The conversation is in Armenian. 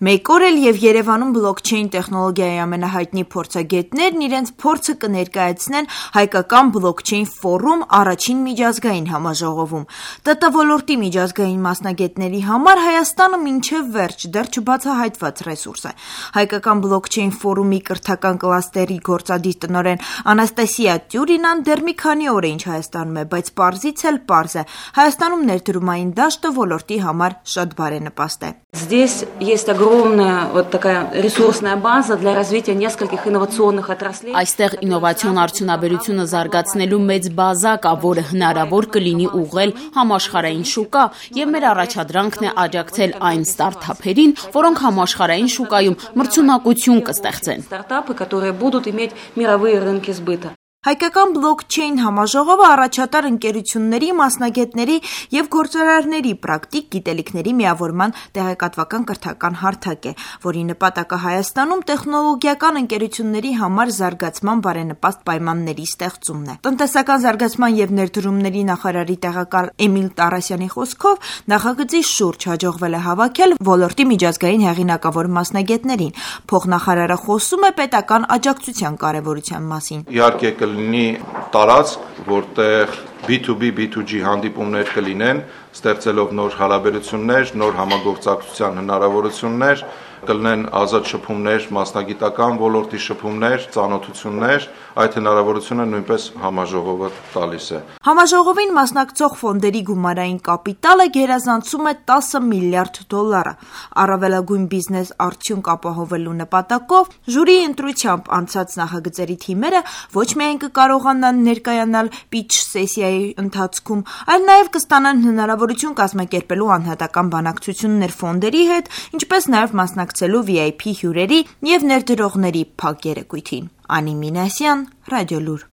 Մեկ օր էլ եւ Երևանում բլոքչեյն տեխնոլոգիայի ամենահայտնի փորձագետներն իրենց փորձը կներկայացնեն հայկական բլոքչեյն ֆորում առաջին միջազգային համաժողովում։ ՏՏ ոլորտի միջազգային մասնագետների համար Հայաստանը մինչև վերջ դեռ չբացահայտված ռեսուրս է։ Հայկական բլոքչեյն ֆորումի կրթական կլաստերի գործադիր տնօրեն Անաստասիա Տյուրինան դեռ մի քանի օր է ինչ Հայաստանում է, բայց պարզից էլ պարզ է։ Հայաստանում ներդրումային դաշտը ոլորտի համար շատ բարենպաստ է։ Здесь есть огромная вот такая ресурсная база для развития нескольких инновационных отраслей. Այստեղ ինովացիոն արդյունաբերությունը զարգացնելու մեծ բազա կա, որը հնարավոր կլինի ուղղել համաշխարհային շուկա, եւ մեր առաջադրանքն է աջակցել այն ստարտափերին, որոնք համաշխարհային շուկայում մրցունակություն կստեղծեն։ Стартапы, которые будут иметь мировые рынки сбыта. Հայկական բլոքչեյն համաժողովը առաջատար ընկերությունների, մասնագետների եւ գործարարների պրակտիկ գիտելիքների միավորման տեղեկատվական կրթական հարթակ է, որի նպատակը Հայաստանում տեխնոլոգիական ընկերությունների համար զարգացման բարենպաստ պայմանների ստեղծումն է։ Տնտեսական զարգացման եւ ներդրումների նախարարի տեղակալ Էմիլ Տարասյանի խոսքով նախագծի շուրջ հաջողվել է հավաքել ոլորտի միջազգային հեղինակավոր մասնագետներին։ Փոխնախարարը խոսում է պետական աջակցության կարեւորության մասին։ Իհարկե կլինի տարածք, որտեղ B2B, B2G հանդիպումներ կլինեն, ստեղծելով նոր հարաբերություններ, նոր համագործակցության հնարավորություններ, կլինեն ազատ շփումներ, մասնագիտական ոլորտի շփումներ, ծանոթություններ, այդ հնարավորությունը նույնպես համաժողովը տալիս է։ Համաժողովին մասնակցող ֆոնդերի գումարային կապիտալը գերազանցում է $10 միլիարդ։ Առավելագույն բիզնես արդյունք ապահովելու նպատակով ժյուրիի ընտրությամբ անցած նախագծերի թիմերը ոչ միայն կկարողանան ներկայանալ pitch սեսիայի ընթացքում, այլ նաև կստանան հնարավորություն կազմակերպելու անհատական բանակցություններ ֆոնդերի հետ, ինչպես նաև մասնակցելու VIP հյուրերի եւ ներդրողների փակ երեկույթին։ Անի Մինասյան, Ռադիոլուր։